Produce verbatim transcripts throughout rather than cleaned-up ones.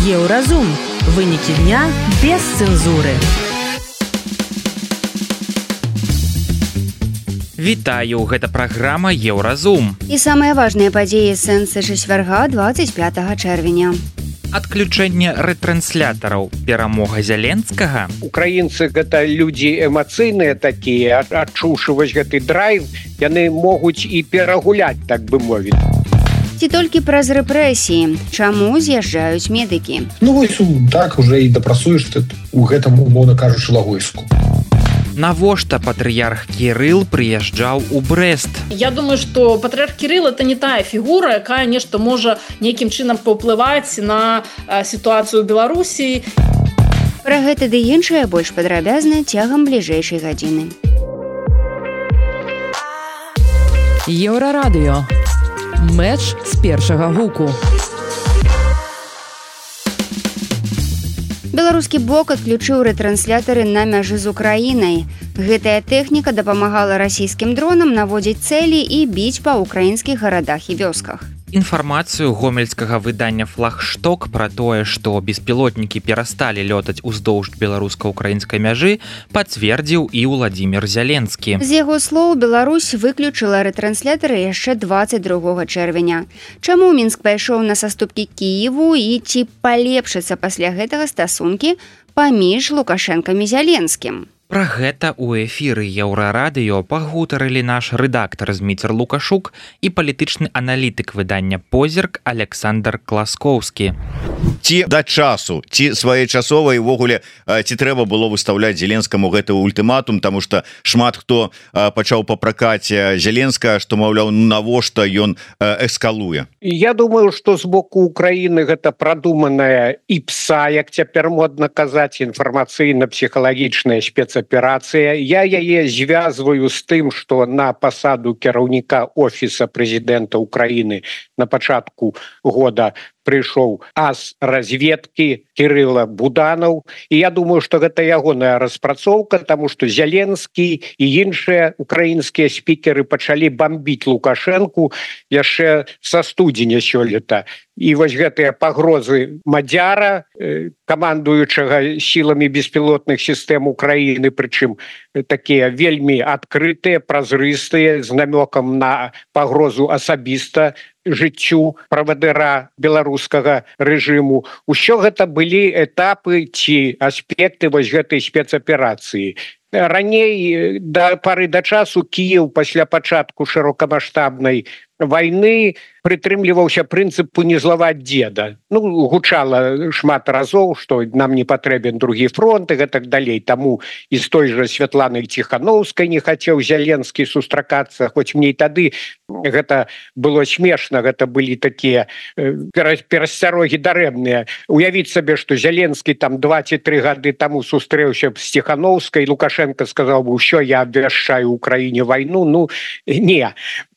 Еўразум. Вынікі дня без цэнзуры. Вітаю, гэта праграма Еўразум. І самыя важныя падзеі сэнсы чацвярга двадцать пятого чэрвеня. Адключэнне рэтранслятораў, перамога Зяленскага. Украінцы гэта людзі эмацыйныя такія, адчуўшы вось гэты драйв, яны могуць і перагуляць, так бы мовіць. Ці толькі праз рэпрэсіі? Чаму з'язджаюць медыкі? Ну вось так уже і дапрацуеш ты у гэтым, умоўна кажучы, лагойску. Навошта патрыярх Кірыл прыязджаў у Брэст? Я думаю, што патрыярх Кірыл это не тая фігура, якая нешта можа нейкім чынам паўплываць на сітуацыю ў Беларусі. Пра гэта ды іншае больш падрабязна цягам бліжэйшай гадзіны. Еўрарадыё. Мэч з першага гуку. Беларускі бок адключыў рэтрансляторы на мяжы з Украінай. Гэтая тэхніка дапамагала расійскім дронам наводзіць цэлі і біць па ўкраінскіх гарадах і вёсках. Інфармацыю гомельскага выдання «Флагшток» пра тое, што беспілотнікі перасталі лётаць уздоўж беларуска-украінскай мяжы, пацвердзіў і Уладзімір Зяленскі. З яго слоў, Беларусь выключыла рэтрансляторы яшчэ двадцать другога чэрвеня. Чаму Мінск пайшоў на саступкі Кіеву і ці палепшацца пасля гэтага стасункі паміж Лукашэнкам і Зяленскім? Пра гэта ў эфіры Еўрарадыё пагутарылі наш рэдактар Зміцер Лукашук і палітычны аналітык выдання «Позірк» Александр Класкоўскі. Ці да часу, ці своечасова і ўвогуле ці трэба было выстаўляць Зеленскаму гэты ультыматум, таму што шмат хто пачаў папракаць Зеленскага, што, маўляў, навошта ён эскалуе. Я думаю, што з боку Украіны гэта прадуманая іпса, як цяпер модна казаць, інфармацыйна-псіхалагічная спецаперацыя. Я яе звязваю з тым, што на пасаду кіраўніка офіса прэзідэнта Украіны на пачатку года прыйшоў ас разведкі Кірыла Буданаў, і я думаю, што гэта ягоная распрацоўка, таму што Зяленскі і іншыя украінскія спікеры пачалі бамбіць Лукашэнку яшчэ са студзеня сёлета. І вось гэтыя пагрозы Мадзяра, камандуючага сіламі беспілотных сістэм Украіны, прычым такія вельмі адкрытыя, празрыстыя, з намёкам на пагрозу асабіста жыццю правадыра беларускага рэжыму. Усё гэта былі этапы ці аспекты вось гэтай спецаперацыі. Раней, да пары да часу, Кіеў пасля пачатку шырокамаштабнай вайны прытрымліваўся прынцыпу не злаваць дзеда. Ну, гучала шмат разоў, што нам не патрэбен другі фронт і гэтак далей. Таму і з той жа Святланай Ціханаўскай не хацеў Зяленскі сустракацца, хоць мне і тады гэта было смешна, гэта былі такія перасцярогі дарэмныя. Уявіць сабе, што Зяленскі там два ці тры гады таму сустрэўся з Ціханаўскай, Лукашенко сказаў бы: «Усё, я абвяшчаю Украіне вайну». Ну, не.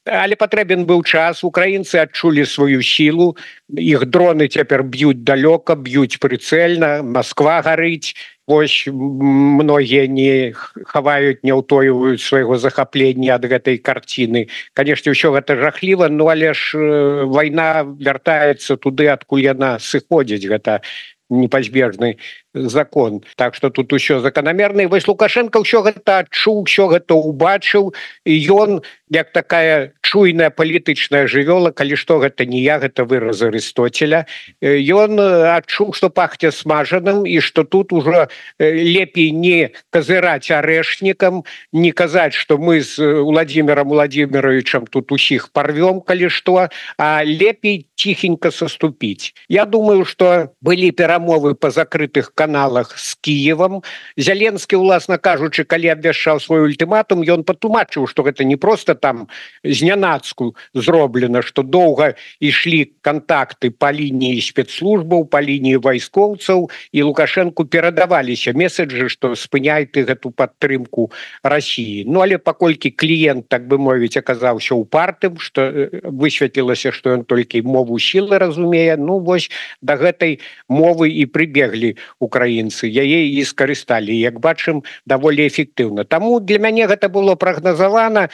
Але патрэбен быў час, украінцы адчулі сваю сілу, іх дроны цяпер б'юць далёка, б'юць прыцэльна, Масква гарыць. Вось многія не хаваюць, не ўтойваюць свайго захаплення ад гэтай карціны. Канешне, ўсё гэта жахліва, ну але ж вайна вяртаецца туды, адкуль яна сыходзіць, гэта непазбежны закон. Так што тут усё заканамерна. І вось Лукашенко ўсё гэта адчуў, усё гэта ўбачыў, і ён, як такая чуйная палітычная жывёла, калі што, гэта не я, гэта выраз Арыстоцеля, ён адчуў, што пахне смажаным, і што тут ужо лепей не казыраць арэшнікам, не казаць, што мы з Уладзімірам Уладзіміровичам тут усіх парвём, калі што, а лепей ціхенька саступіць. Я думаю, што былі перамовы па закрытых каналах з Кіевам. Зяленскі, уласна кажучы, калі абвяшчаў свой ультыматум, ён патлумачыў, што гэта не проста там знянацку зроблена, што доўга ішлі кантакты па лініі спецслужбаў, па лініі вайскоўцаў, і Лукашэнку перадаваліся месаджы, што спыняй ты гэту падтрымку Расіі. Ну, але паколькі кліент, так бы мовіць, аказаўся упартым, што высветлілася, што ён толькі мову сілы разумее, ну, вось да гэтай мовы размовы і прыбеглі украінцы яе і скарысталі, як бачым, даволі эфектыўна. Таму для мяне гэта было прагназавана.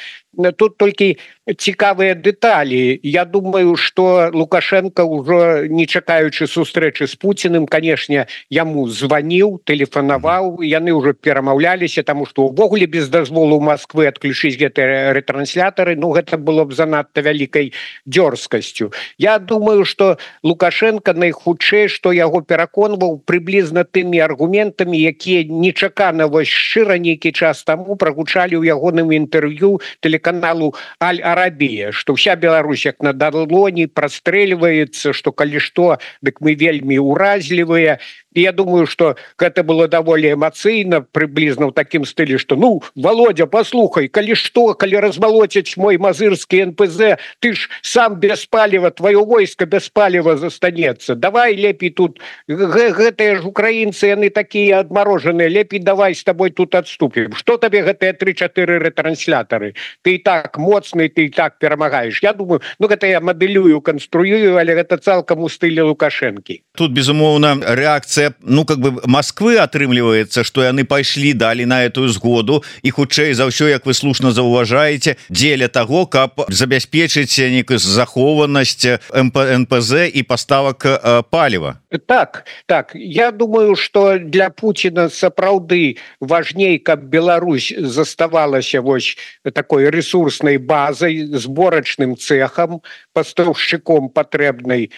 Тут толькі цікавыя дэталі. Я думаю, што Лукашенко ўжо не чакаючы сустрэчы з Пуціным, канешне, яму званіў, тэлефанаваў, яны ўжо перамаўляліся, таму што ўвогуле без дазволу Москвы адключыць гэтыя рэтрансляторы, ну гэта было б занадта вялікай дзёрзкасцю. Я думаю, што Лукашенко найхутчэй, што яго пераконваў прыблізна тымі аргументамі, якія нечакана вось шчыра нейкі час таму прагучалі ў ягоным інтэрв'ю телеканалу Аль-Арабія, што ўся Беларусь як на далоні прастрэльваецца, што калі што, дык мы вельмі ўразлівыя. І я думаю, што гэта было даволі эмацыйна, прыблізна ў такім стылі, што ну, Володя, паслухай, калі што, калі размалоцяць мой мазырскі эн пэ зэ, ты ж сам без паліва, твоё войска без паліва застанецца. Давай лепей тут, гэтыя ж украінцы, яны такія адмарожаныя, лепей давай з табой тут адступім. Што табе гэтыя тры-чатыры рэтранслятары? Ты і так моцны, ты і так перамагаеш. Я думаю, ну гэта я мадэлюю, канструюю, але гэта цалкам у стылі Лукашэнкі. Тут, безумоўна, рэакцыя ну как бы Москвы атрымліваецца, што яны пайшлі далі на эту згоду і хутчэй за ўсё, як вы слушна заўважаеце, дзеля таго, каб забяспечыць нейкую захованасць эн пэ зэ і паставак паліва. Так, так, я думаю, што для Пуціна сапраўды важней, каб Беларусь заставалася вось такой ресурснай базай, зборачным цэхам, пастаўшчыком патрэбнай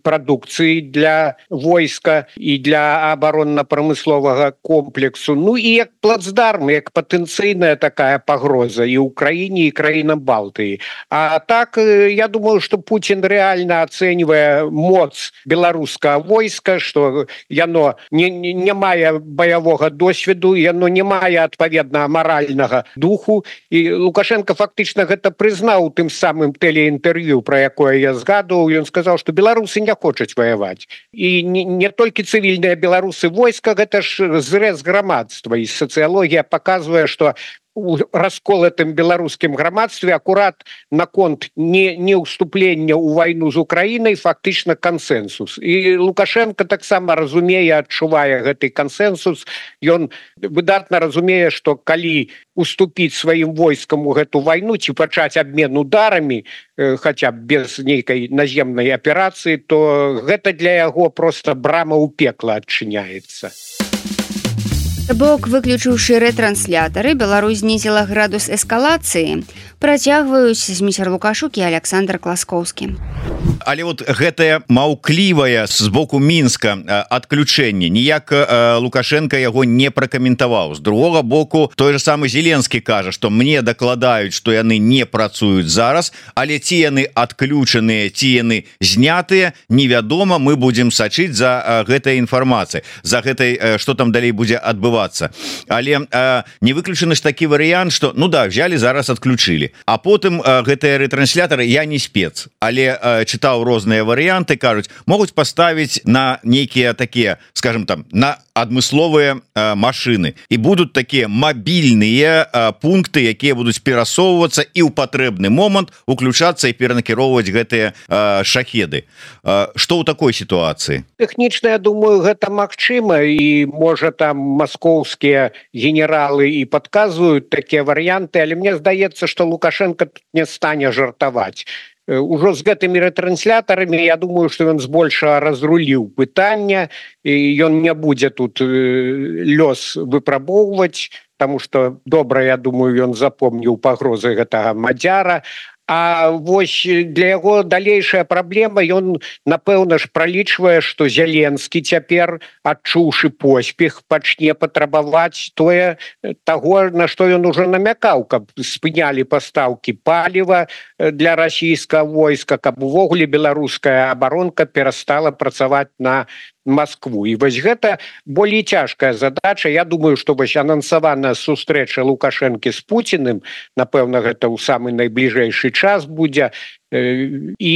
прадукцыі для войска і для абаронна-прамысловага комплексу. Ну і як плацдарм, як патэнцыйная такая пагроза і ўкраіне, і краінам Балтыі. А так, я думаю, што Пуцін рэальна ацэньвае моц беларускага войска, што яно не, не, не мае баявога досведу, яно не мае адпаведна маральнага духу. І Лукашенко фактычна гэта прызнаў тым самым тэлеінтэрв'ю, пра якое я згадываў. Ён сказаў, што беларусы не хочуць ваяваць. І не, не толькі цывільныя беларусы войска, гэта ж зрэз грамадства. І сацыялогія паказвае, што у расколатым беларускім грамадстве акурат наконт не, не ўступлення ў вайну з Украінай фактычна кансэнсус. І Лукашенко таксама разумее, адчувае гэты кансэнсус. Ён выдатна разумее, што калі уступіць сваім войскам у гэту вайну ці пачаць абмен ударамі, хаця б без нейкай наземнай аперацыі, то гэта для яго проста брама ў пекла адчыняецца. Бок, выключыўшы рэтрансляторы, Беларусь знізіла градус эскалацыі. Працягваюць Зміцер Лукашук і Александр Класкоўскі. Але вот гэтае маўклівае з боку Мінска адключэнне ніяк Лукашенко яго не пракаментаваў. З другога боку, той же самы Зеленскі кажа, што мне дакладаюць, што яны не працуюць зараз, але ці яны адключаныя, ці яны знятыя, невядома, мы будзем сачыць за гэтай інфармацыяй, за гэтай, што там далей будзе адбывацца. Але не выключаны ж такі варыянт, што ну да, взяли зараз адключылі. А потым гэтыя рэтрансляторы, я не спец, але чытаў розныя варыянты, кажуць, могуць паставіць на нейкія такія, скажем там, на адмысловыя э, машины і будуць такія мабільныя э, пункты, якія будуць перасоўвацца і ў патрэбны момант уключацца і перанакіроўваць гэтыя э, шахеды. Э, што ў такой сітуацыі? Тэхнічна, я думаю, гэта магчыма, і можа там маскоўскія генералы і падказваюць такія варыянты, але мне здаецца, што Лукашенко тут не стане жартаваць. Ужо з гэтымі рэтрансляторамі, я думаю, што ён збольшага разруліў пытання, і ён не будзе тут лёс выпрабоўваць, таму што добра, я думаю, ён запомніў пагрозы гэтага мадзяра. А вось для яго далейшая праблема, ён, напэўна ж, пралічвае, што Зеленскі цяпер, адчуўшы поспех, пачне патрабаваць тое таго, на што ён ужо намякаў, каб спынялі пастаўкі паліва для расійскага войска, каб увогуле беларуская абаронка перастала працаваць на Москву. І вось гэта болей цяжкая задача. Я думаю, што вось анансаваная сустрэча Лукашэнкі з Пуціным, напэўна, гэта ў самы найбліжэйшы час будзе. І,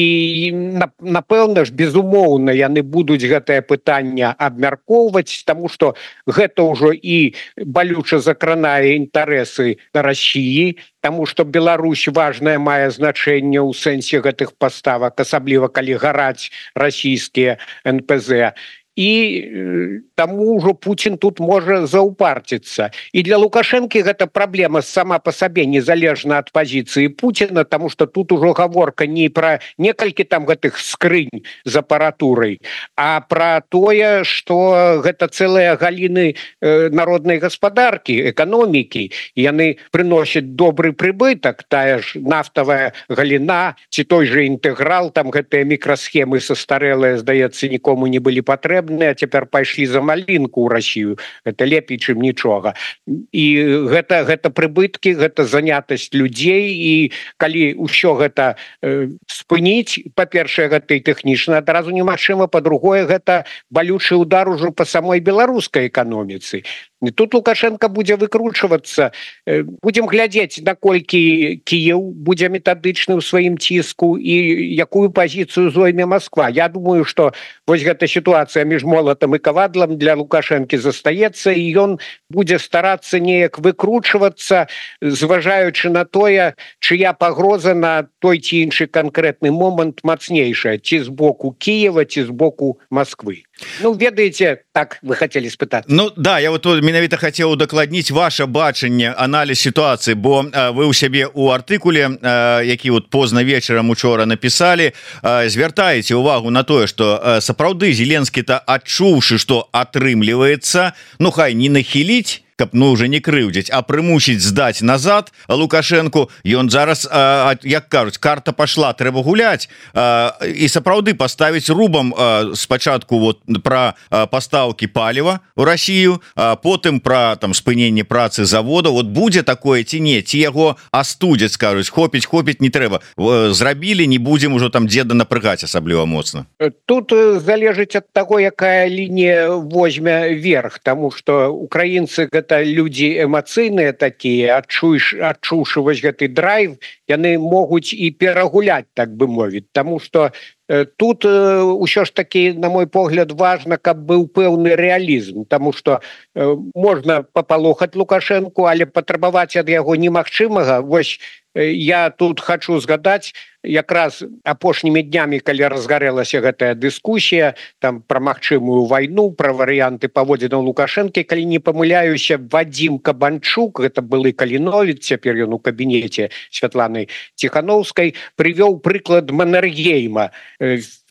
напэўна ж, безумоўна, яны будуць гэтае пытанне абмяркоўваць, таму што гэта ўжо і балюча закранае інтарэсы Расіі, таму што Беларусь важнае мае значэнне ў сэнсе гэтых паставак, асабліва калі гараць расійскія эн пэ зэ. і таму ўжо Путін тут можа заўпарціцца. І для Лукашэнкі гэта праблема сама па сабе незалежна ад пазіцыі Пуціна, таму што тут ужо гаворка не пра некалькі там гэтых скрынь з апаратурай, а пра тое, што гэта цэлыя галіны народнай гаспадаркі, эканомікі, яны прыносяць добры прыбытак, тая ж нафтавая галіна, ці той же інтэграл, там гэтыя мікрасхемы састарэлыя, здаецца, нікому не былі патрэбныя, а цяпер пайшлі за малінку ў Расію. Гэта лепей, чым нічога. І гэта, гэта прыбыткі, гэта занятасць людзей, і калі ўсё гэта э, спыніць, па-першае, гэта і тэхнічна адразу немагчыма, па-другое, гэта балючы удар ужо па самой беларускай эканоміцы. І тут Лукашенко будзе выкручвацца. Будзем глядзець, наколькі Кіеў будзе метадычны ў сваім ціску і якую пазіцыю зойме Москва. Я думаю, што вось гэта сітуацыя між молатам і кавадлам для Лукашэнкі застаецца, і ён будзе старацца неяк выкручвацца, зважаючы на тое, чыя пагроза на той ці іншы канкрэтны момант мацнейшая, ці з боку Кіева, ці з боку Москвы. Ну, ведаеце, так вы хотели спытаць. Ну, да, я вот менавіта хацеў удакладніць ваше бачанне, аналіз сітуацыі, бо а, вы ў сябе ў артыкуле, а, які вот позна вечарам учора напісалі, а, звяртаеце увагу на тое, што а, сапраўды Зеленскі-то адчуўшы, што атрымліваецца, ну, хай не нахіліць, каб ну уже не крыўдзіць, а прымусіць здаць назад Лукашэнку. Ён зараз, а, як кажуць, карта пашла, трэба гуляць, а, і сапраўды паставіць рубам а, спачатку вот пра пастаўкі паліва ў Расію, а потым пра там спыненне працы завода. Вот будзе такое ці не, ці яго астудзяць, скажуць, хопіць, хопіць не трэба, зрабілі, не будзем ужо там дзеда напрыгаць асабліва моцна. Тут залежыць ад таго, якая лінія возьме верх, таму што украінцы гэта людзі эмацыйныя такія, адчуеш, адчуўшы вось гэты драйв, яны могуць і перагуляць, так бы мовіць, таму што э, тут э, ўсё ж такі, на мой погляд, важна, каб быў пэўны рэалізм, таму што э, можна папалохаць Лукашэнку, але патрабаваць ад яго немагчымага. Вось э, я тут хачу згадаць, якраз апошнімі днямі, калі разгарэлася гэтая дыскусія там пра магчымую вайну, пра варыянты паводзінаў Лукашэнкі, калі не памыляюся, Вадзім Кабанчук, гэта былы каліновец, цяпер ён у кабінеце Святланы Ціхановскай, прывёў прыклад Маннергейма,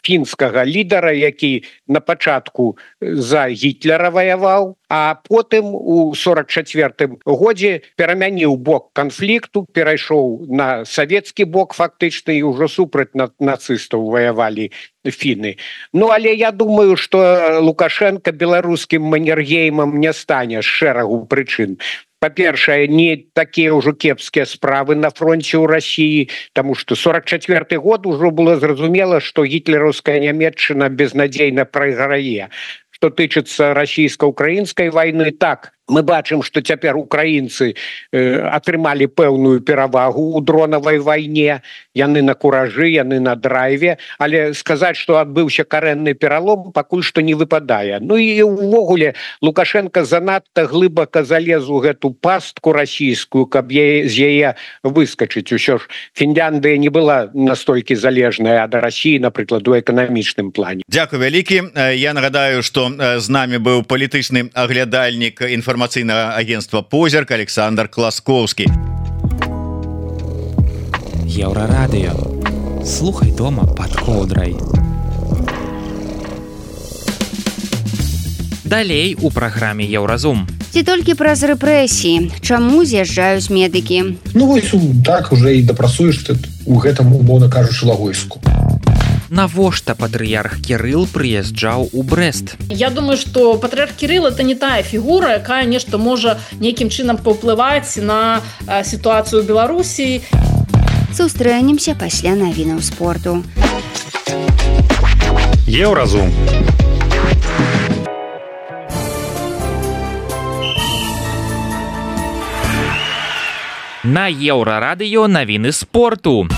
фінскага лідара, які на пачатку за Гітлера ваяваў, а потым у сорок чацвёртым годзе перамяніў бок канфлікту, перайшоў на савецкі бок фактычна, і ўжо супраць нацыстаў ваявалі фіны. Ну, але я думаю, што Лукашенко беларускім Маннергеймам не стане з шэрагу прычын. Па-першае, не такія ўжо кепскія справы на фронце ў Расіі, таму што сорок чацвёрты год ужо было зразумела, што гітлераўская Нямецчына безнадзейна прайграе. Што тычыцца расійска-украінскай вайны, так, мы бачым, што цяпер украінцы э, атрымалі пэўную перавагу ў дронавай вайне, яны на куражы, яны на драйве, але сказаць, што адбыўся карэнны пералом, пакуль што не выпадае. Ну і ўвогуле Лукашенко занадта глыбака залез у гэту пастку расійскую, каб яе, з яе выскачыць. Усё ж Фінляндыя не была настолькі залежная ад Расіі, напрыклад, у эканамічным плане. Дзякуй вялікі. Я нагадаю, што з намі быў палітычны аглядальнік інфармацыйнага агентства «Позірк» Александр Класкоўскі. Еўрарадыё. Слухай дома пад коўдрай. Далей у праграме «Еўразум». Ці толькі праз рэпрэсіі? Чаму з'язджаюць медыкі? Ну вось так уже і дапрасуеш ты у гэтым, умоўна кажучы, лагойску. Навошта патрыярх Кірыл прыязджаў у Брэст? Я думаю, што патрыярх Кірыл это не тая фігура, якая нешта можа нейкім чынам паўплываць на э, сітуацыю ў Беларусі. Сустрэнемся пасля навінаў спорту. Еўразум. На Еўрарадыё навіны спорту.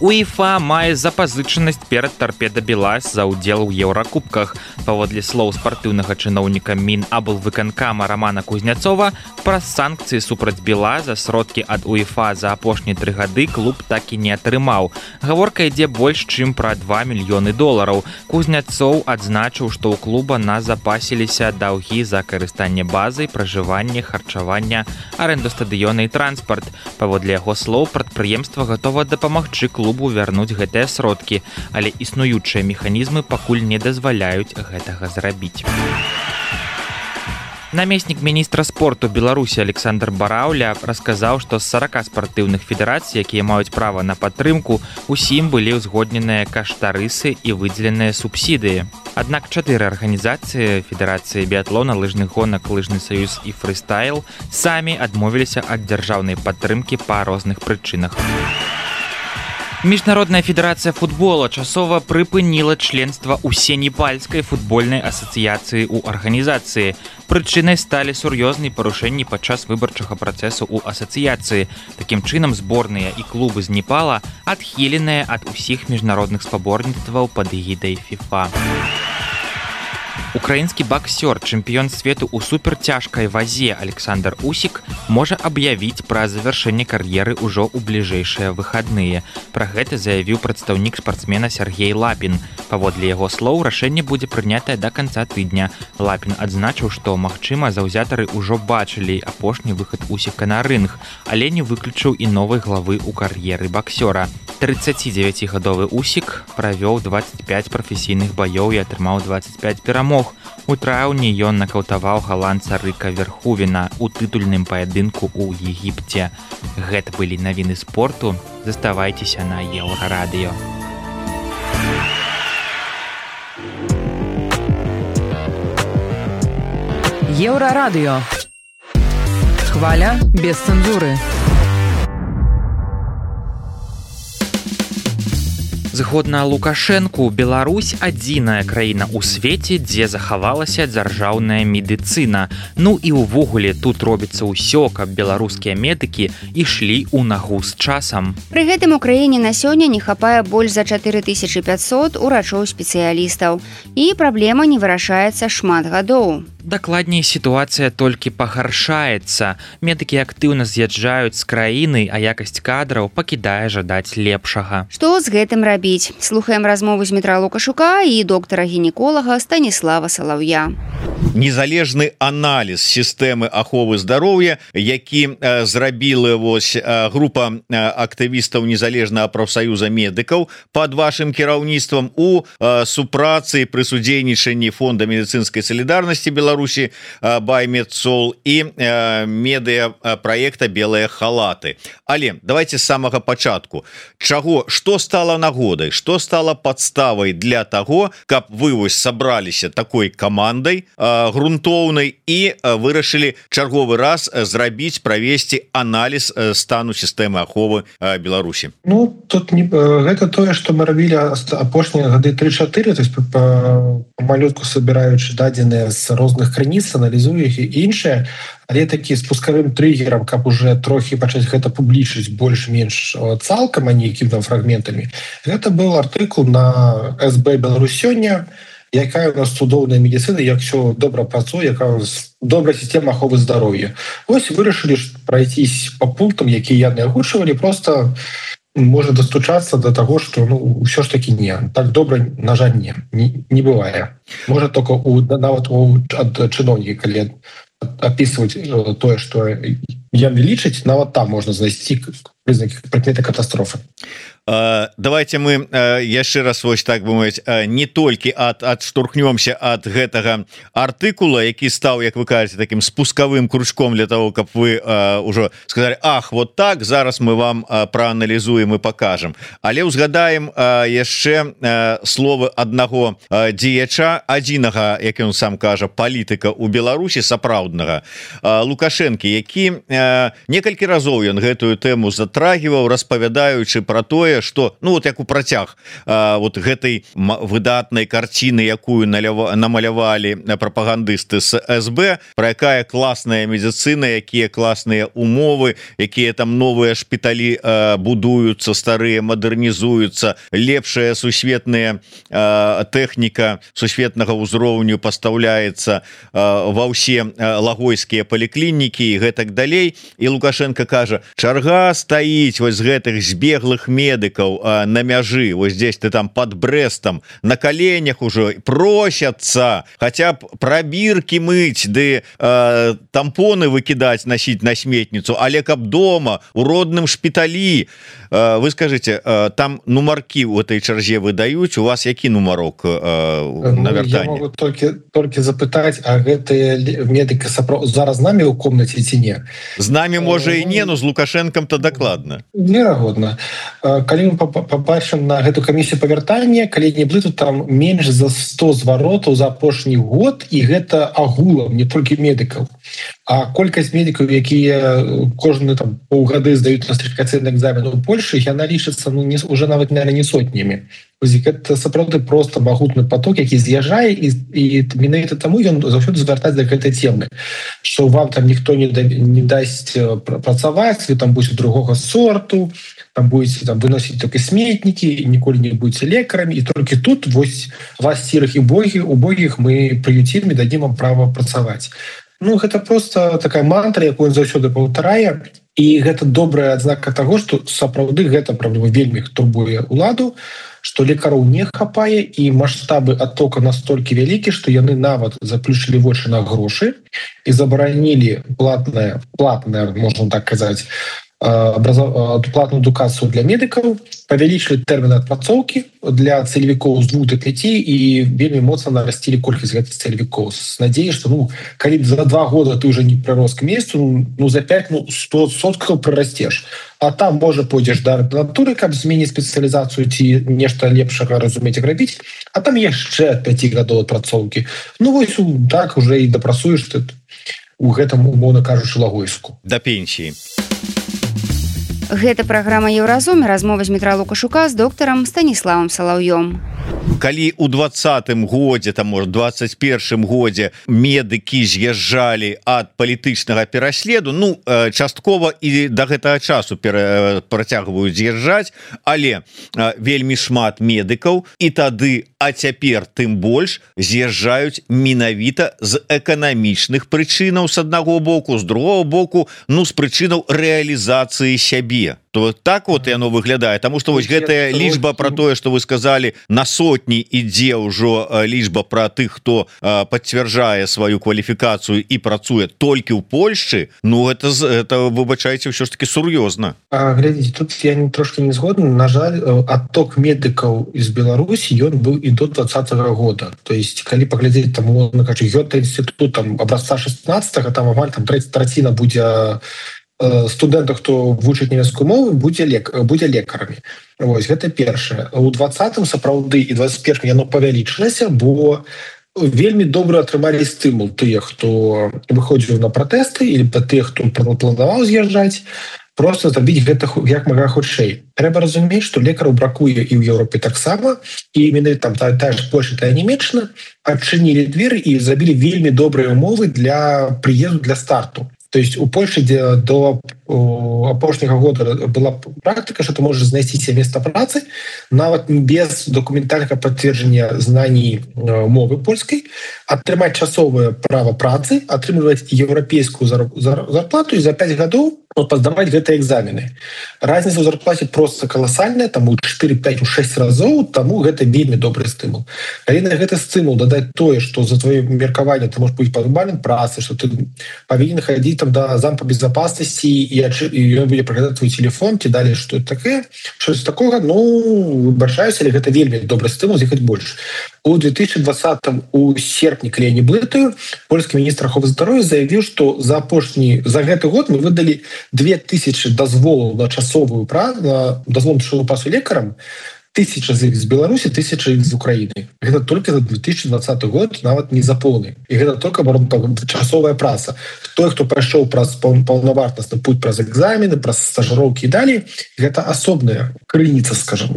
УЕФА мае запазычанасць перад Торпедо Белаз за ўдзел у еўракубках. Паводле слоў спартыўнага чыноўніка Мінаблвыканкама Романа Кузняцова, праз санкцыі супраць Белаза сродкі ад УЕФА за апошнія тры гады клуб так і не атрымаў. Гаворка ідзе больш чым пра два мільёны долараў. Кузняцоў адзначыў, што ў клуба назапасіліся даўгі за карыстанне базай, пражыванне, харчавання, аренду стадыёна і транспарт. Паводле яго слоў, прадпрыемства гатова дапамагчы клубу вярнуць гэтыя сродкі, але існуючыя механізмы пакуль не дазваляюць гэтага зрабіць. Намеснік міністра спорту Беларусі Александр Бараўля расказаў, што з сарака спартыўных федэрацый, якія маюць права на падтрымку, усім былі ўзгодненыя каштарысы і выдзеленыя субсідыі. Аднак чатыры арганізацыі Федэрацыі біятлона, лыжных гонак, лыжны саюз і фрыстайл самі адмовіліся ад дзяржаўнай падтрымкі па розных прычынах. Міжнародная федэрацыя футбола часова прыпыніла членства ўсенепальскай футбольнай асацыяцыі ў арганізацыі. Прычынай сталі сур'ёзныя парушэнні падчас выбарчага працэсу ў асацыяцыі. Такім чынам, зборныя і клубы з Непала адхіленыя ад усіх міжнародных спаборніцтваў пад эгідай ФІФА. Украінскі баксёр, чэмпіён свету ў суперцяжкай вазе Александр Усік можа аб'явіць пра завяршэнне кар'еры ўжо ў бліжэйшыя выхадныя. Пра гэта заявіў прадстаўнік спартсмена Сергей Лапін. Паводле яго слоў, рашэнне будзе прынятае да канца тыдня. Лапін адзначыў, што, магчыма, заўзятары ўжо бачылі апошні выхад Усіка на рынг, але не выключыў і новай главы ў кар'еры баксёра. трыццацідзевяцігадовы Усік правёў дваццаць пяць прафесійных баёў і атрымаў дваццаць пяць перамог. У траўні ён накаўтаваў галандца Рыка Верхувена у тытульным паядынку ў Егіпце. Гэта былі навіны спорту. Заставайцеся на Еўрарадыё. Еўрарадыё. Хваля без цэнзуры. Згодна Лукашэнку, Беларусь адзіная краіна ў свеце, дзе захавалася дзяржаўная медыцына. Ну і ўвогуле тут робіцца ўсё, каб беларускія медыкі ішлі ў нагу з часам. Пры гэтым у краіне на сёння не хапае больш за чатыры тысячы пяцьсот урачоў-спецыялістаў. І праблема не вырашаецца шмат гадоў. Дакладней, сітуацыя толькі пагаршаецца. Медыкі актыўна з'язджаюць з краіны, а якасць кадраў пакідае жадаць лепшага. Што з гэтым рабіць? Слухаем размову з Дмітра Лукашука і доктара-гінеколага Станіслава Салаўя. Незалежны аналіз сістэмы аховы здароўя, які э, зрабіла вось э, група э, актывістаў незалежнага прафсаюза медыкаў пад вашым кіраўніцтвам у э, супрацы пры судзейнічанні фонда медыцынскай салідарнасці Беларусі э, Баймедсол і э, медыа праекта белыя халаты. Але давайте з самага пачатку. Чаго, што стала нагодай, што стала падставай для таго, каб вы вось сабраліся такой камандай э, грунтоўнай і вырашылі чарговы раз зрабіць, правесці аналіз стану сістэмы аховы Беларусі? Ну, тут не, гэта тое, што мы рабілі апошнія гады тры-чатыры, то есть памалётку сабіраючы дадзеныя з розных крыніц, аналізуе іх і іншыя, але такі спускавым трыгерам, каб уже трохі пачаць гэта публічыць больш-менш цалкам, а не якім-то фрагментамі. Гэта быў артыкул на эс бэ Беларусь сёння, якая у нас цудоўная медыцына, як все добра працуе, якая у нас добрая сістэма аховы здароўя. Вось вырашылі прайцісь па пунктам, якія яны агучвалі, просто можна дастучацца до таго, што ну ўсё ж такі не. Так добра, на жаль, не, не, не бывае. Можа только у, нават у ад чыноўніка, калі апісваць тое, што яны лічаць, нават там можна знайсці прызнакі прыкметы катастрофы. Uh, давайте мы uh, яшчэ раз вось так бы мовіць, uh, не толькі ад адштурхнёмся ад гэтага артыкула, які стаў, як вы кажаце, таким спускавым крючком для того, каб вы uh, ўжо сказали, ах, вот так, зараз мы вам uh, прааналізуем і покажем. Але ўзгадаем uh, яшчэ uh, словы аднаго uh, дзеяча, адзінага, як ён сам кажа, палітыка ў Беларусі, сапраўднага, uh, Лукашэнкі, які uh, некалькі разоў ён гэтую тэму за затрагиваў, распавядаючы про тое, что ну вот як у працяг вот гэтай выдатнай карціны, якую намалявалі прапагандысты з эс бэ, про якая класная медицина, якія класныя умовы, якія там новыя шпіталі будуюцца, старыя мадэрнізуюцца, лепшая сусветная тэхніка сусветнага ўзроўню пастаўляецца ва ўсе лагойскія паліклінікі і гэтак далей. І Лукашенко кажа, чарга стаіць вось з гэтых збеглых медыкаў на мяжы, вось здесь ты там под Брестом, на коленях уже просятся хотя б пробірки мыць, ды э, тампоны выкидаць, носить на сметницу, але каб дома у родным шпіталі. э, Вы скажите, э, там нумарки у этой чарзе выдаюць, у вас які нумарок э, на вяртанне? Я могу только, только запытаць, а гэтыя медыкі зараз з намі ў комнаце ці не? З намі можа і не, но з Лукашенком-то дакладна. Верагодна. Калі мы побачым на гэту камісію па вяртанне, калі не блыту, там менш за сто зваротаў за апошні год, і гэта агулам, не толькі медыкаў. А колькасць медыкаў, якія кожны там паўгады здаюць нострыфікацыйны экзамен у Польшы, яна лічыцца ну, не, уже нават наверное, не сотнямі. Гэта сапраўды просто магутны поток, які з'язджае, і, і менавіта таму ён заўсёды звяртаць да гэтай темы, што вам там ніхто не, да, не дасць працаваць, вы там будете другога сорту, там будете там выносіць только сметнікі, ніколі не будете лекарамі, і толькі тут вось вас сірых і богі, убогіх мы прыюцім і дадзім вам права працаваць. Ну, гэта просто такая мантра, якую ён заўсёды паўтарае, і гэта добрая адзнака таго, што сапраўды гэта праблема вельмі турбуе ўладу, што лекараў не хапае, і маштабы адтока настолькі вялікі, што яны нават заключылі вочы на грошы і забаранілі платнае, платнае, можна так казаць, платную адукацыю для медыкаў, павялічылі тэрміны адпрацоўкі для цэлевікоў з двух до пяти і вельмі моцна нарасцілі колькасць гэтых цэлевікоў з надзеяй, што ну калі за два года ты уже не прырос к месяцу, ну за пять ну сто соткаў прырасцеш, а там можа пойдзеш да ардынатуры, каб змяніць спецыялізацыю ці нешта лепшага разумець і рабіць, а там яшчэ ад пяти гадоў адпрацоўкі. Ну вось так уже і дапрацуеш ты у гэтым, умоўна кажучы, лагойску да пенсіі. Гэта праграма Еўразум, размова з Дмітра Лукашука з доктарам Станіславам Салаўём. Калі у двадцатым годзе, там может двадцать першым годзе медыкі з'язджалі ад палітычнага пераследу, ну часткова і да гэтага часу працягваюць з'язджаць, але вельмі шмат медыкаў і тады, а цяпер тым больш з'язджаюць менавіта з эканамічных прычынаў з аднаго боку, з другого боку, ну з прычынаў рэалізацыі сябе. То так вот яно выглядае, таму што вось гэтая лічба про тое, што вы сказалі, на сотні ідзе ўжо лічба про тых, хто пацвярджае сваю кваліфікацыю і працуе толькі ў Польшчы, ну это, это выбачайце, ўсё ж таки сур'ёзна. Глядзіце, тут я трошки не згодны. На жаль, адток медыкаў з Беларусі ён быў і до двадцатого года. То есть калі паглядзець там Гёте-інстытут там абразца шестнадцатого, там амаль там траціна будзе студэнтаў, хто вучыць нямецкую мову, будзе лек будзе лекарамі. Вось гэта першае. У двадцатым сапраўды і двадцать першым яно павялічылася, бо вельмі добра атрымалі стымул тыя, хто выходзіў на пратэсты, или тыя, хто планаваў з'язджаць, просто зрабіць гэта як мага хутчэй. Трэба разумець, што лекараў бракуе і ў Еўропе таксама, і именно там тая, тая ж Польша, тая Нямецчына адчынілі дзверы і зрабілі вельмі добрыя умовы для прыезду, для старту. То есть у Польши, где до апошняга года была практика, что ты можешь знайсці себе место працы нават без документальнага подтверждения знаний мовы польской, атрымаць часовое право працы, атрымліваць еўрапейскую зарплату и за пять гадоў паздаваць гэтыя экзамены. Разница ў зарплате просто колоссальная, там у четыре пять шесть разоў, таму гэта вельмі добрый стымул. Калі на гэты стымул дадаць тое, что за твоё меркаванне ты можешь быць пазбаўлен працы, что ты павінен хадзіць там до замка безопасности и ён будзе праглядаць твой телефон, ці далее что это такое, что з такого, ну выбачаюся, але гэта вельмі добрый стымул з'ехаць больш. У две тысячи двадцатом у серпні, калі я не блытаю, польскі міністр аховы здароўя заявіў, што за апошні за гэты год мы выдалі две тысячи дазволаў на часовую працу, на дазвол на часовую працу лекарам, тысяча з іх з Беларусі, тысяча іх з Украіны. Гэта только за две тысячи двадцатый год, нават не за поўны. І гэта только часовая праца. Той, хто прайшоў праз паўнавартасны путь праз экзамены, праз стажыроўкі і далей, гэта асобная крыніца, скажем,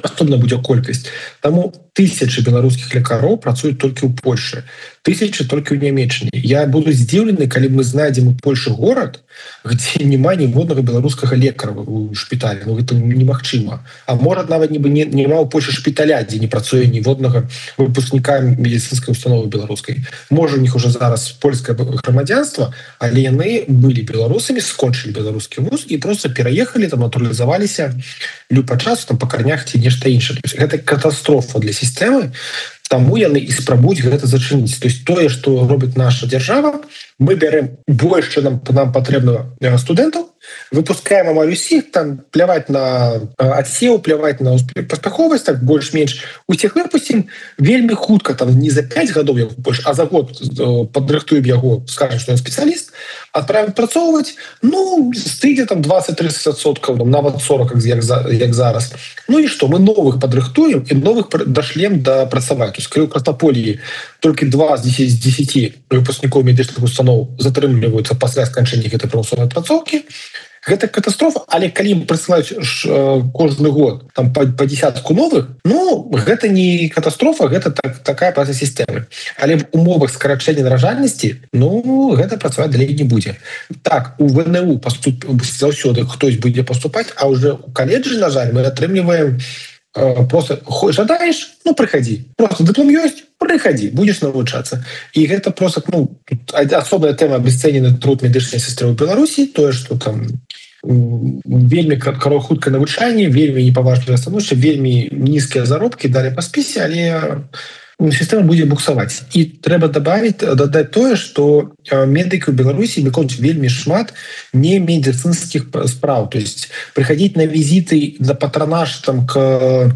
асобная будзе колькасць. Таму тысячи беларускіх лекароў працуюць толькі ў Польшы, тысячи толькі ў Нямецчыне. Я буду здзіўлены, калі мы знайдзем у Польшы горад, где няма ніводнага беларускага лекара у шпіталі. Ну, гэта немагчыма. А можа, нават нібы няма ў Польшы шпіталя, дзе не працуе ніводнага выпускніка медицинскай установы беларускай. Можа, у них уже зараз польскае грамадзянства, але яны былі беларусамі, скончылі беларускі вуз і просто пераехалі, там натуралізаваліся любы час там па карнях ці нешта іншае. Гэта катастрофа для сістэмы. Таму яны і спрабуюць гэта зачыніць. То есть тое, што робіць наша дзяржава, мы бярэм больш, чым нам, нам патрэбна студэнтаў, выпускаем амаль усіх, там пляваць на адсеў, пляваць на паспяховасць, так больш-менш усіх выпусцім вельмі хутка, там не за пять гадоў яго больш, а за год падрыхтуем яго, скажем, што ён спецыяліст, адправім працоўваць, ну, стыдзе там двадцать-тридцать адсоткаў, нават сорок, як, як зараз. Ну і што, мы новых падрыхтуем і новых дашлем да працаваць. То есть, калі ў Краснаполі толькі два з десяти выпускнікоў медычных устаноў затрымліваюцца пасля сканчэння гэтай прымусовай працоўкі, гэта катастрофа, але калі мы прысылаюць кожны год там па, па десятку новых, ну, гэта не катастрофа, гэта так, такая праца сістэмы. Але в умовах скарачэння наражальнасці, ну, гэта працаваць далей не будзе. Так, у ВНУ паступ... заўсёды хтось будзе паступаць, а уже у каледжы, на жаль, мы атрымліваем просто жадаеш, ну, прыходи. Просто диплом ёсць, прыходи, будешь навучацца. І гэта просто, ну, асобная тэма абесцэнены труд медычнай сестры ў Беларусі, тое, што там вельмі хутка навучанне, вельмі непаважлівае становішча, вельмі нізкія заробкі далі па спісе, але сістэма будзе буксаваць. І трэба добавить, дадаць тое, што медыкі ў Беларусі выконваюць вельмі шмат не медицинских спраў. То есть прыходить на візіты, на патронаж там, к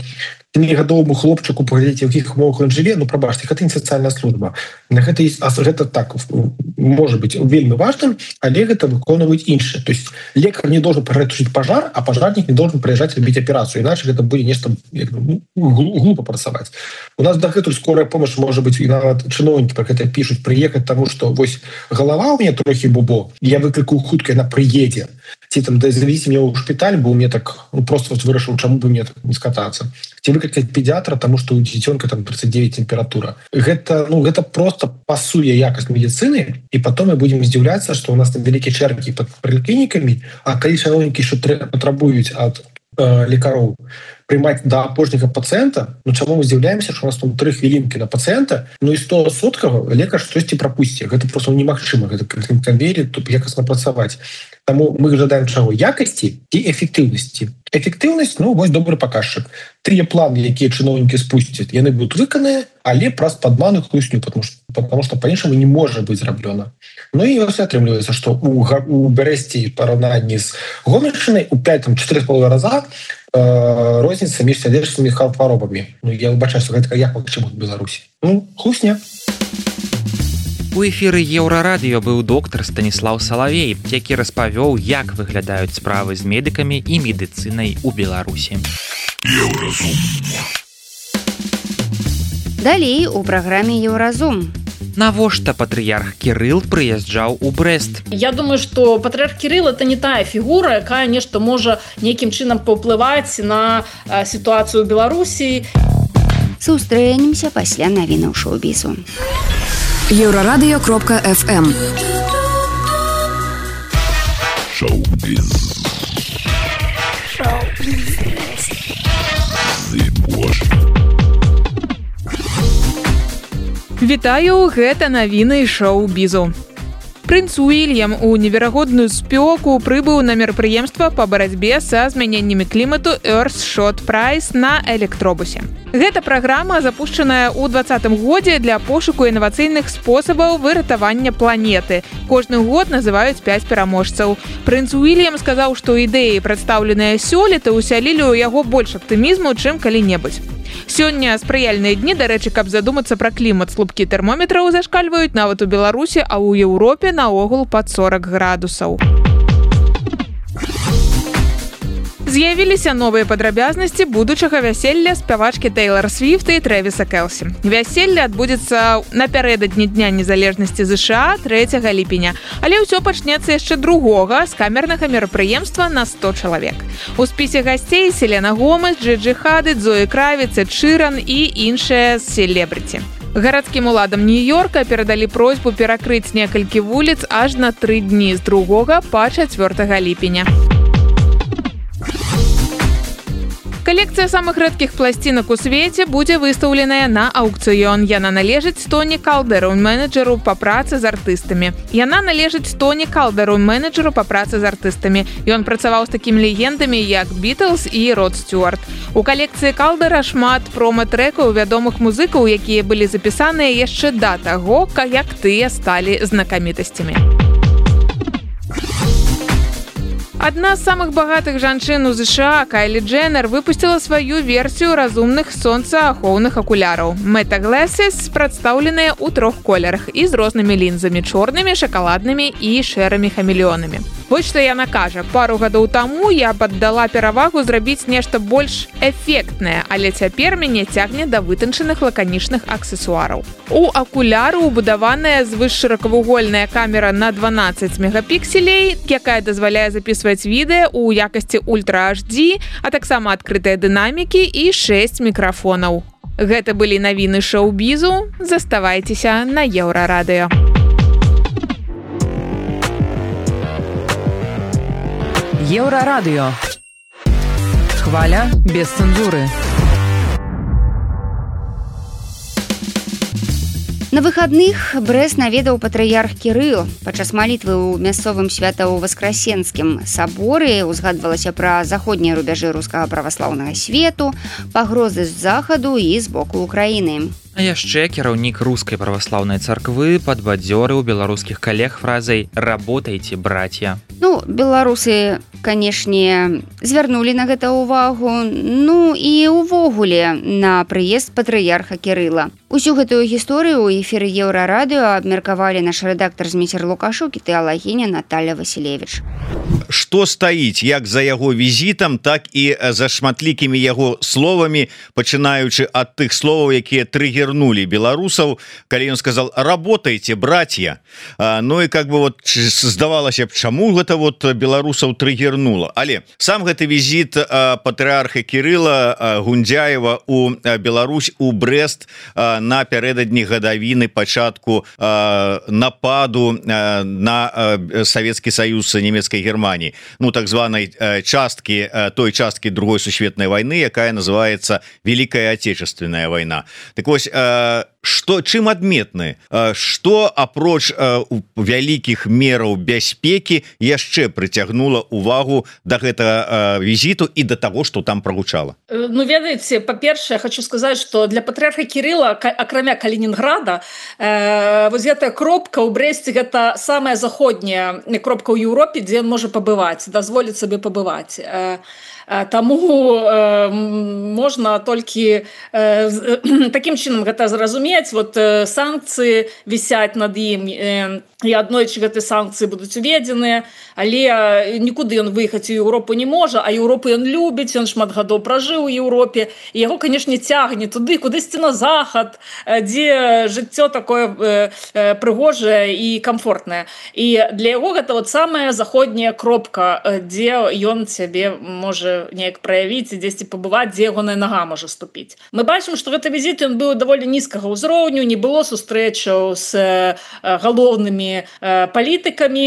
семігадовому хлопчыку, паглядзець, у якіх умовах ён жыве, ну, прабачце, гэта не сацыяльная служба. Гэта, гэта так, можа быць вельмі важным, але гэта выконваюць іншыя. То есть лекар не должен прытушыць пажар, а пажарнік не должен прыязджаць рабіць аперацыю, іначе гэта будзе нешта ну, глупо працаваць. У нас дагэтуль скорая помощь, можа быць, і нават чыноўнікі пра гэта пішуць, прыехаць таму, што вось галава ў мяне трохі бубо, я выклікаю хутка, яна прыедзе. Ці там да завезі мне ў шпіталь, бо мне так ну, просто вырашыў, чаму бы мне так не скатацца. Ці выклікаць педиатра, таму што у дзіцёнка там тридцать девять тэмпература. Гэта, ну, гэта просто пасуе якасць медицины, і потом мы будем здзіўляцца, што у нас там вялікія чэргі пад паліклінікамі, а калі чыноўнікі што патрабуюць ад э, лекароў прымаць да апошняга пацыента, ну чаму мы здзіўляемся, што у нас там тры хвілінкі на пацыента, ну і сто соткаў лекар штосьці прапусці. Гэта просто немагчыма, гэта канвеер тут якасна працаваць. Таму мы жадаем чаго? Якасці і эфектыўнасці. Эфектыўнасць, ну, вось добры паказчык. Тыя планы, якія чыноўнікі спусцяць, яны будуць выкананыя, але праз падману хлусню, потому что, потому что па-іншаму не можа быць зраблёна. Ну і ось атрымліваецца, што у, у Бярэсці параўнанні з Гомельшчынай у пять-четыре з паловай раза э, розніца між сардэчнымі хваробамі. Ну, я выбачаю, што гэта як магчыма ў Беларусі. Ну, хлусня. У эфіры Еўрарадыё быў доктар Станіслаў Салавей, які распавёў, як выглядаюць справы з медыкамі і медыцынай у Беларусі. Еўразум. Далей у праграме Еўразум. Навошта патрыярх Кірыл прыязджаў у Брэст? Я думаю, што патрыярх Кірыл это не тая фігура, якая нешта можа нейкім чынам паўплываць на а, сітуацыю ў Беларусі. Сустрэнемся пасля навінаў шоу-бізу. Еўрарадыё кропка эф эм. Шоу-біз. Шоу-біз. Вітаю, гэта навіны шоу-бізу. Прынц Уільям у неверагодную спёку прыбыў на мерапрыемства па барацьбе са змяненнямі клімату Earthshot Prize на электробусе. Гэта праграма, запушчаная ў двадцатым годзе для пошуку інавацыйных спосабаў выратавання планеты. Кожны год называюць пяць пераможцаў. Прынц Уільям сказаў, што ідэі, прадстаўленыя сёлета, усялілі ў яго больш аптымізму, чым калі-небудзь. Сёння спрыяльныя дні, дарэчы, каб задумацца пра клімат, слупкі тэрмометраў зашкальваюць нават у Беларусі, а ў Еўропе наогул пад сорок градусаў. З'явіліся новыя падрабязнасці будучага вяселля спявачкі Тэйлар Свіфт і Трэвіса Кэлсі. Вяселле адбудзецца напярэдадні Дня незалежнасці ЗША трэцяга ліпеня, але ўсё пачнецца яшчэ другога з камернага мерапрыемства на сто чалавек. У спісе гасцей Селена Гомес, Джиджи Хадид, Зои Кравіц, Эд Ширан і іншыя селебрыці. Гарадскім уладам Нью-Йорка перадалі просьбу перакрыць некалькі вуліц аж на тры дні з другога па чацвёртага ліпеня. Калекцыя самых рэдкіх пласцінак у свеце будзе выстаўленая на аўкцыён. Яна належыць Тоні Калдеру, менеджеру па працы з артыстамі. Яна належыць Тоні Калдеру, менеджеру па працы з артыстамі. Ён працаваў з такімі легендамі, як Бітлз і Род Стюарт. У калекцыі Калдера шмат промо-трэкаў вядомых музыкаў, якія былі запісаныя яшчэ да таго, як тыя сталі знакамітасцямі. Адна з самых багатых жанчын у ЗША, Кайлі Дженнер, выпусціла сваю версію разумных сонцаахоўных акуляраў. Meta Glasses прадстаўленыя ў трох колерах і з рознымі лінзамі – чорнымі, шакаладнымі і шэрымі хамелеонамі. Вось што яна кажа. Пару гадоў таму я паддала перавагу зрабіць нешта больш эфектнае, але цяпер мяне цягне да вытанчаных лаканічных аксесуараў. У акуляру убудаваная звышшыракавугольная камера на дванаццаць мегапікселей, якая дазваляе запісваць відэа ў якасці ультра эйч ди, а таксама адкрытыя дынамікі і шэсць мікрафонаў. Гэта былі навіны шоу-бізу. Заставайцеся на Еўрарадыё. Еўрарадыё. Хваля без цэнзуры. На выхадных Брэст наведаў патрыярх Кірыл. Падчас малітвы ў мясцовым свята-воскресенскім саборы узгадвалася пра заходнія рубяжы рускага праваслаўнага свету, пагрозы з захаду і з боку Украіны. А яшчэ кіраўнік рускай праваслаўнай царквы падбадзёрыў беларускіх калег фразай «Работайте, братья». Ну, беларусы, канешне, звярнулі на гэта ўвагу, ну і ўвогуле на прыезд патрыярха Кірыла. Усю гэтую гісторыю ў эфіры Еўрарадыё абмеркавалі наш рэдактар Зміцер Лукашук і тэалагіня Наталья Васілевіч. Што стаіць як за яго візітам, так і за шматлікімі яго словамі, пачынаючы ад тых словаў, якія трыгернулі беларусаў, калі ён сказал «Работайте, братья». Ну і как бы вот здавалася б, чаму гэта вот беларусаў трыгернула. Але сам гэты візіт патрыарха Кірыла Гундзяева у Беларусь, у Брэст напярэдадні гадавіны пачатку нападу на Савецкі Саюз нямецкай Германії, ну так званай часткі, той часткі другой сусветнай вайны, якая называется Великая Отечественная война. Так вось, што чым адметны, што апроч вялікіх мераў бяспекі яшчэ прыцягнула увагу да гэтага візіту і да таго, што там прагучала? Ну, ведаеце, па-першае, хочу сказаць, што для патрыарха Кірыла, акрамя Калінінграда, э, вось гэтая кропка ў Брэсце, гэта самая заходняя кропка ў Еўропе, дзе ён можа пабываць, дазволіць сабе пабываць. Э, Таму э, можна толькі э, такім чынам гэта зразумець. Вот э, санкцыі вісяць над ім, э, і аднойчы гэтыя санкцыі будуць уведзеныя, але нікуды ён выехаць у Еўропу не можа, а Еўропу ён любіць, ён шмат гадоў пражыў у Еўропе, і яго, канешне, цягне туды, кудысьці на захад, дзе жыццё такое э, прыгожае і камфортнае. І для яго гэта вот самая заходняя кропка, дзе ён сябе можа неяк праявіць і дзесьці пабываць, дзе ягоная нага можа ступіць. Мы бачым, што гэты візіт ён быў даволі нізкага ўзроўню, не было сустрэчаў з галоўнымі палітыкамі,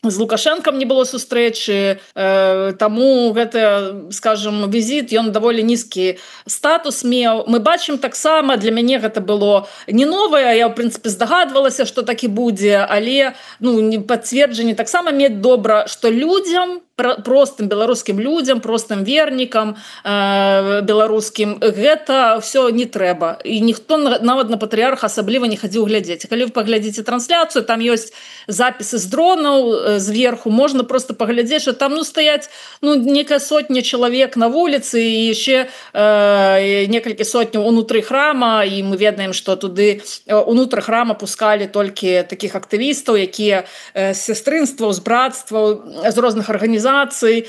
з Лукашэнкам не было сустрэчы, э, таму гэта, скажем, візіт, ён даволі нізкі статус меў. Мы бачым таксама, для мяне гэта было не новае, я, ў прынцыпе, здагадвалася, што так і будзе, але ну, пацверджанне таксама мець добра, што людзям, простым беларускім людзям, простым вернікам э, беларускім, гэта ўсё не трэба. І ніхто нават на патрыярха асабліва не хадзіў глядзець. Калі вы паглядзіце трансляцыю, там ёсць запісы з дронаў зверху, можна просто паглядзець, што там ну, стаяць ну, некая сотня чалавек на вуліцы і яшчэ э, некалькі сотняў унутры храма, і мы ведаем, што туды унутры храма пускалі толькі такіх актывістаў, якія з сястрынстваў, з братстваў, з розных арганізацый арганізацый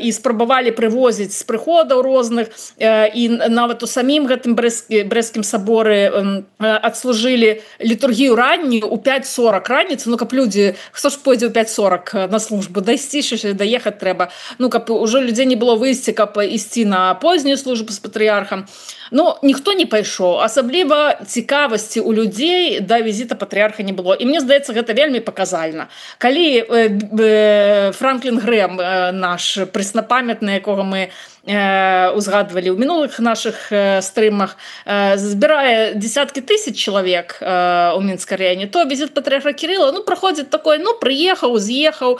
і спрабавалі прывозіць з прыходаў розных, і нават у самім гэтым брэсцкім саборы адслужылі літургію раннюю у пяць сорак раніцы, ну каб людзі, хто ж пойдзе ў пяць сорак на службу, дайсці ж, даехаць трэба, ну каб ужо людзей не было выйсці, каб ісці на познюю службу з патрыярхам. Ну, ніхто не пайшоў, асабліва цікавасці ў людзей да візіта патрыярха не было. І мне здаецца, гэта вельмі паказальна. Калі Франклін Грэм, наш прэснапамятны, якога мы узгадвалі ў мінулых нашых стрымах, збірае десяткі тысяч чалавек у Мінскай раёне, то візіт патрыярха Кірыла, ну, праходзіць такой, ну, прыехаў, з'ехаў,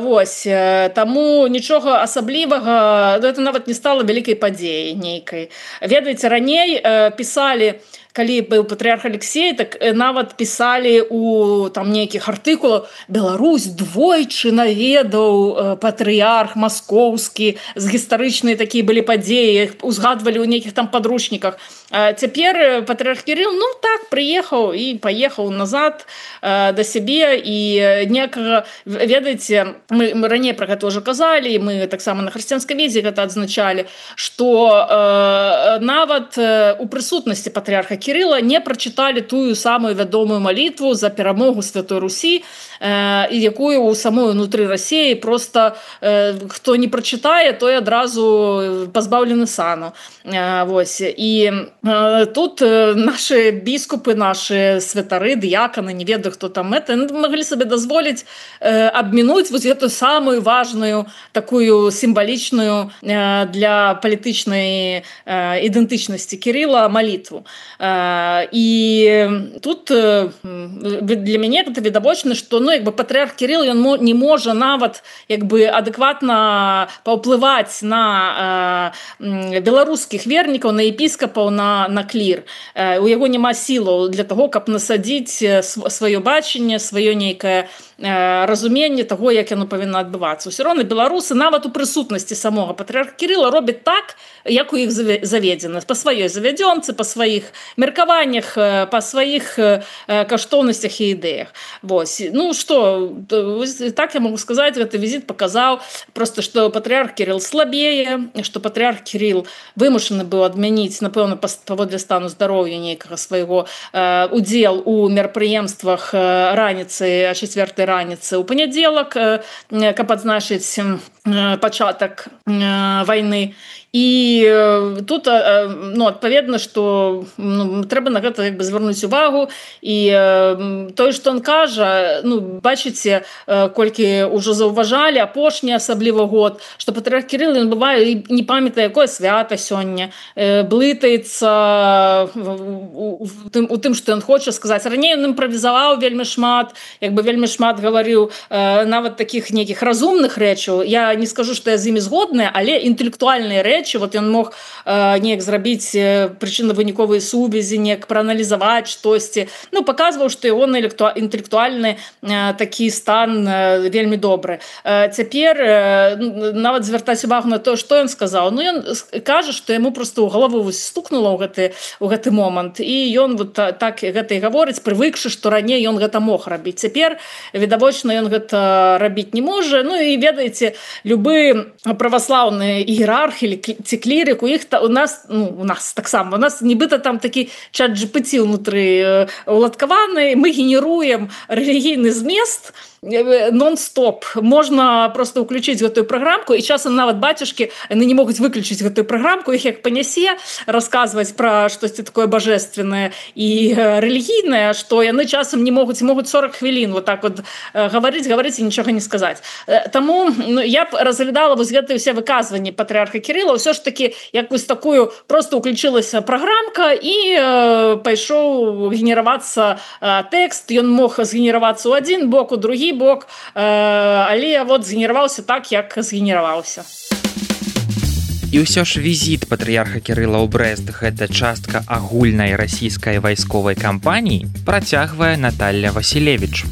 вось. Таму нічога асаблівага, гэта нават не стала вялікай падзеяй нейкай. Ведаеце, раней пісалі, калі быў патрыярх Алексей, так нават пісалі у там нейкіх артыкулах: Беларусь двойчы наведаў патрыярх маскоўскі, з гістарычныя такія былі падзеі, узгадвалі ў нейкіх там падручніках. А цяпер патрыярх Кірыл, ну так, прыехаў і паехаў назад да сябе, і некага, ведаеце, мы, мы раней пра гэта ўжо казалі, мы таксама на хрысціянскай візе гэта адзначалі, што э, нават у прысутнасці патрыярха Кірыла не прачыталі тую самую вядомую малітву за перамогу Святой Русі, э, і якую ў самой унутры Расіі просто э, хто не прачытае, той адразу пазбаўлены сану. Э, вось. І э, тут э, нашы біскупы, нашы святары, дыяканы, не ведаю, хто там это, маглі сабе дазволіць э, абмінуць вось гэтую самую важную, такую сімвалічную э, для палітычнай э, ідэнтычнасці Кірыла малітву. І тут для мяне гэта відавочна, што ну, як бы патрыярх Кірыл, ён не можа нават як бы адэкватна паўплываць на э, беларускіх вернікаў, на епіскапаў, на, на клір. Э, у яго няма сілаў для таго, каб насадзіць сваё бачанне, сваё нейкае э, разуменне таго, як яно павінна адбывацца. Усё роўна беларусы нават у прысутнасці самога патрыярха Кірыла робяць так, як у іх заведзена, па сваёй завядзёнцы, па сваіх меркаваннях, па сваіх каштоўнасцях і ідэях. Вось. Ну што, так я могу сказаць, гэты візіт паказаў просто, што патрыярх Кірыл слабее, што патрыярх Кірыл вымушаны быў адмяніць, напэўна, паводле стану здароўя нейкага свайго удзел у мерапрыемствах раніцы, а чацвёртай раніцы ў панядзелак, каб адзначыць пачатак вайны. І тут, ну, адпаведна, што ну, трэба на гэта як бы звярнуць увагу, і тое, што ён кажа, ну, бачыце, колькі ўжо заўважалі апошні асабліва год, што патрыярх Кірыл, ён бывае не памятае, якое свята сёння, блытаецца у тым, у тым, што ён хоча сказаць. Раней ён імправізаваў вельмі шмат, як бы вельмі шмат гаварыў нават такіх нейкіх разумных рэчаў. Я не скажу, што я з імі згодная, але інтэлектуальныя рэчы, вот ён мог э, неяк зрабіць прычынна-выніковыя сувязі, неяк прааналізаваць штосьці. Ну, паказваў, што яго інтэлектуальны э, такі стан э, вельмі добры. Э, цяпер э, нават звяртаць увагу на то, што ён сказаў. Ну, ён кажа, што яму проста ў галаву стукнула ў гэты, ў гэты момант. І ён вот так гэта і гаворыць, прывыкшы, што раней ён гэта мог рабіць. Цяпер, відавочна, ён гэта рабіць не можа. Ну, і ведаеце, любы праваслаўны іерарх или ці клірик, у іх у нас, ну, у нас таксама, у нас нібыта там такі чат джи пі ті ўнутры уладкаваны, мы генеруем рэлігійны змест нон-стоп. Можна просто ўключыць гэтую праграмку, і часам нават бацюшкі, яны не могуць выключыць гэтую праграмку, іх як панясе, расказваць пра штосьці такое божественнае і рэлігійнае, што яны часам не могуць, могуць сорок хвілін вот так вот гаварыць, гаварыць і нічога не сказаць. Таму ну, я б разглядала вось гэтыя ўсе выказванні патрыярха Кірыла, ўсё ж такі якусь такую просто ўключылася праграмка і э, пайшоў генеравацца э, тэкст, ён мог згенеравацца ў адзін бок, у другі бок, э, але вот згенераваўся так, як згенераваўся. І ўсё ж візіт патрыярха Кірыла ў Брэст, гэта частка агульнай расійскай вайсковай кампаніі, працягвае Наталья Васілевіч.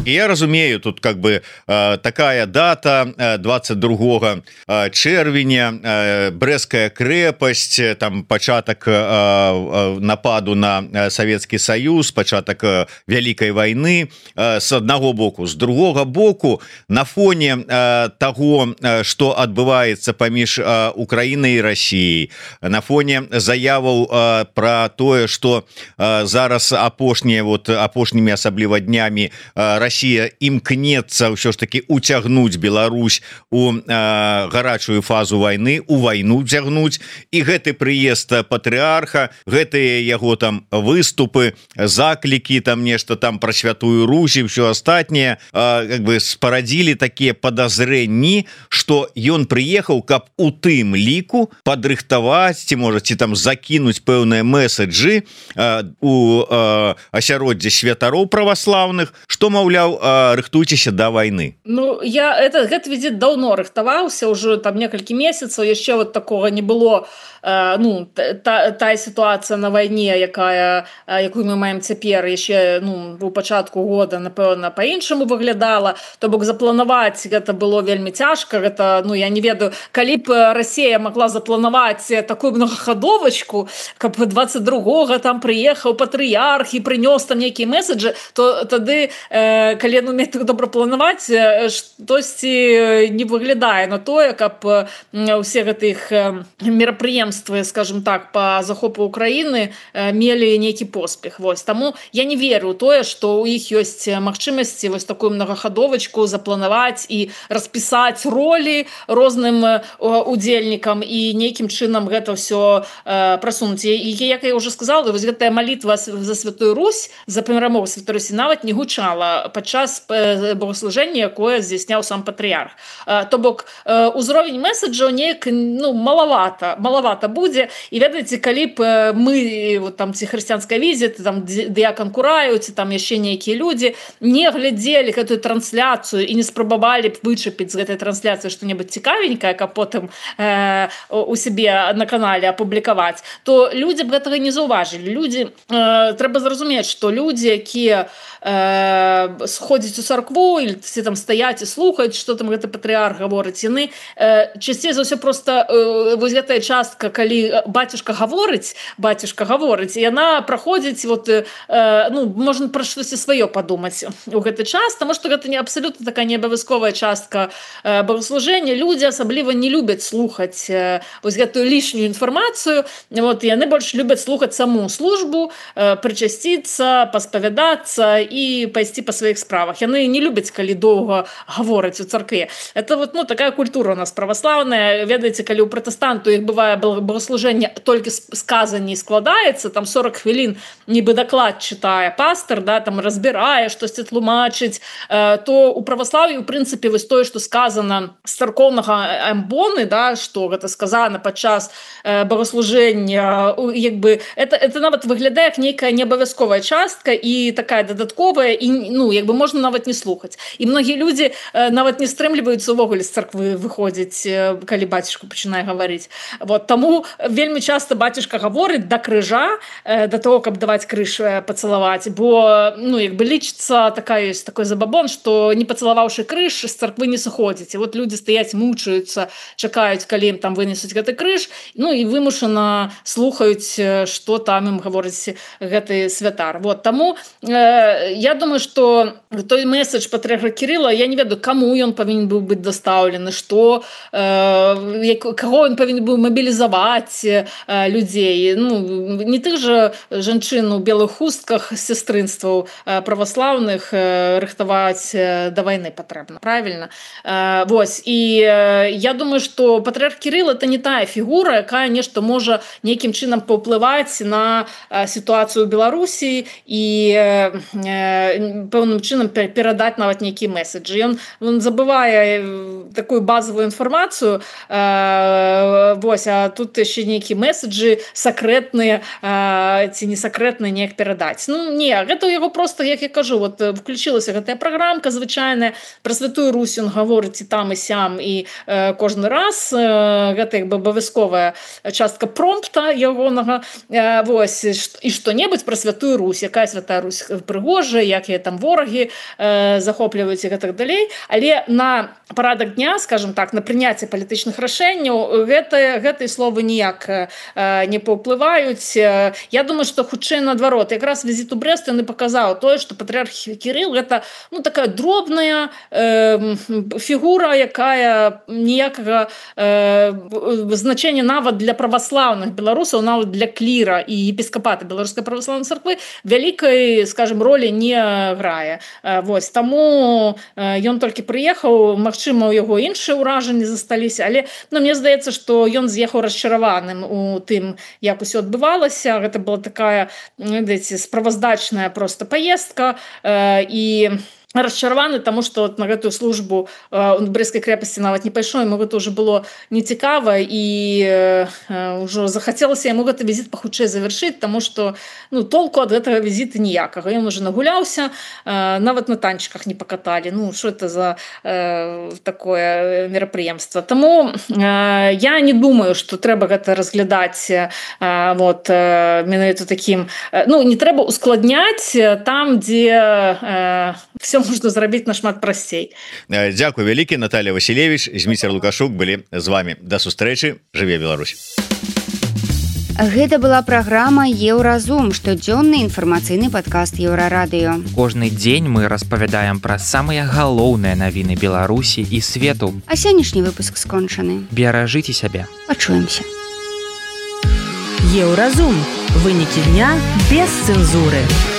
І я разумею, тут как бы э, такая дата э, двадцать другого э, чэрвеня, э, Брэская крэпасць, там пачатак э, э, нападу на Савецкі Саюз, пачатак э, Вялікай вайны э, с аднаго боку, з другога боку на фоне э, того, што адбываецца паміж э, Украінай і Расіяй, на фоне заяваў э, про тое, што э, зараз апошнія вот апошнімі асабліва днямі э, Россия імкнецца ўсё ж таки уцягнуць Беларусь у э, гарачую фазу войны, у войну цягнуць, і гэты прыезд патрыарха, гэтыя яго там выступы, заклікі, там нешта там пра святую Русь і ўсё астатняе, э, как бы спарадзілі такія падазрэнні, што ён прыехаў, каб у тым ліку падрыхтаваць ці можа ці там закінуць пэўныя месаджы э, у э, асяроддзе святароў праваслаўных, што маўляў, рыхтуйцеся да войны. Ну я это гэта візіт даўно рыхтаваўся, уже там некалькі месяцаў, яшчэ вот такого не было. Ну та, тая сітуацыя на вайне, якая якую мы маем цяпер, яшчэ ну у пачатку года напэўна па-іншаму выглядала, то бок запланаваць гэта было вельмі цяжка. Гэта ну я не ведаю, калі б Расія могла запланаваць такую многахадовачку, каб двадцать другога там прыехаў патрыярх і прынёс там нейкія месаджы, то тады э, калі ну умець добра планаваць, штосьці не выглядае на тое, каб усе гэтых мерапрыемствы, скажем так, по захопу Украины мелі нейкі поспех. Вось таму я не веру ў тое, што ў іх ёсць магчымасці вось такую многахадовачку запланаваць і распісаць ролі розным удзельнікам і нейкім чынам гэта ўсё прасунуць. І як я уже сказала, вось гэтая малітва за святую Русь, за перамогу святой Русі нават не гучала падчас богослужэння, якое здзяйсняў сам патрыярх. То бок узровень месаджаў неяк ну малавата, малавата будзе. І ведаеце, калі б мы вот там ці хрысціянская візіт, там дыякан Кураю, ці там яшчэ нейкія людзі не глядзелі гэтую трансляцыю і не спрабавалі б вычапіць з гэтай трансляцыі што-небудзь цікавенькае, каб потым э, у сябе на канале апублікаваць, то людзі б гэтага не заўважылі. Людзі э, трэба зразумець, што людзі, якія э, сходзяць у царкву или ці там стаяць і слухаюць, што там гэты патрыарх гаворыць, яны э, часцей за ўсё просто э, вось гэтая частка, калі бацюшка гаворыць, бацюшка гаворыць, яна праходзіць вот э, ну можна пра штосьці сваё падумаць у гэты час, таму што гэта не абсалютна такая неабавязковая частка э, богослужэння. Людзі асабліва не любяць слухаць э, вось гэтую лішнюю інфармацыю. Вот яны больш любяць слухаць саму службу, э, прычасціцца, паспавядацца і пайсці па сваіх справах. Яны не любяць, калі доўга гавораць у царкве. Это вот ну такая культура у нас праваслаўная. Ведаеце, калі ў пратэстанту іх бывае богослужэнне толькі сказанні складаецца, там сорок хвілін нібы даклад чытае пастор, да, там разбірае, штосьці тлумачыць, э, то у праваслаўі у прынцыпе вось тое, што сказана з царкоўнага амбоны, да, што гэта сказана падчас э, богослужэння, як бы это это нават выглядае як нейкая неабавязковая частка і такая дадатковая, і ну як бы можна нават не слухаць. І многія людзі э, нават не стрымліваюцца увогуле з царквы выходзіць, э, калі бацюшка пачынае гаварыць. Вот таму вельмі часто бацюшка гаворыць да крыжа, э, да того, каб даваць крыж э, пацалаваць, бо ну як бы лічыцца такая ёсць такой забабон, што не пацалаваўшы крыж з царквы не сыходзіць. І вот людзі стаяць, мучаюцца, чакаюць, калі ім там вынесуць гэты крыж, ну і вымушана слухаюць, што там ім гаворыць гэты святар. Вот таму э, я думаю, што той месседж патрыарха Кірыла, я не ведаю, каму ён павінен быў быць дастаўлены, што э, каго ён павінен быў мабілізаваць э, людзей. Ну не тых жа жанчын у белых хустках сястрынстваў э, праваслаўных э, рыхтаваць э, да вайны патрэбна, правільна. Э, вось і э, я думаю, што патрыарх Кірыл это не тая фігура, якая нешта можа нейкім чынам паўплываць на э, сітуацыю ў Беларусі і э, э, пэўным чынам перадаць нават нейкія месаджы. Ён, ён забывае такую базовую інфармацыю, э, вось, а тут яшчэ нейкія месаджы сакрэтныя э, ці не сакрэтныя неяк перадаць. Ну не, гэта яго просто, як я кажу, вот включилася гэтая праграмка звычайная, пра святую Русь ён гаворыць і там і сям, і э, кожны раз э, гэта як бы абавязковая частка промпта ягонага, э, вось, і што-небудзь пра святую Русь, якая святая Русь прыгожая, як яе там ворагі ногі э, захопліваюць і гэтак далей, але на парадак дня, скажем так, на прыняцце палітычных рашэнняў гэта, гэтыя словы ніяк э, не паўплываюць. Я думаю, што хутчэй наадварот, якраз візіт у Брэст ён і паказаў тое, што патрыарх Кірыл гэта ну, такая дробная э, фігура, якая ніякага э, значэння нават для праваслаўных беларусаў, нават для кліра і епіскапата беларускай праваслаўнай царквы вялікай, скажем, ролі не грае. Вось, таму ён толькі прыехаў, магчыма, у яго іншыя ўражанні засталіся, але ну, мне здаецца, што ён з'ехаў расчараваным у тым, як усё адбывалася. Гэта была такая, ведаеце, справаздачная просто паездка і расчараваны, таму што на гэтую службу э, у Брэсцкай крэпасці нават не пайшоў, яму гэта ўжо было нецікава і э, ўжо захацелася яму гэты візіт пахутчэй завяршыць, таму што ну, толку ад гэтага візіта ніякага. Ён уже нагуляўся, э, нават на танчыках не пакаталі. Ну, што это за э, такое мерапрыемства. Таму э, я не думаю, што трэба гэта разглядаць э, вот, э, менавіта такім... Э, ну, не трэба ускладняць там, дзе э, все можна зрабіць нашмат прасцей. Дзякуй вялікі, Наталья Васілевіч, Зміцер Лукашук былі з вами. Да сустрэчы, жыве Беларусь. Гэта была праграма Еўразум, штодзённы інфармацыйны падкаст Еўрарадыё. Кожны дзень мы распавядаем пра самыя галоўныя навіны Беларусі і свету. А сённяшні выпуск скончаны. Беражыце сябе. Пачуемся. Еўразум. Вынікі дня без цэнзуры.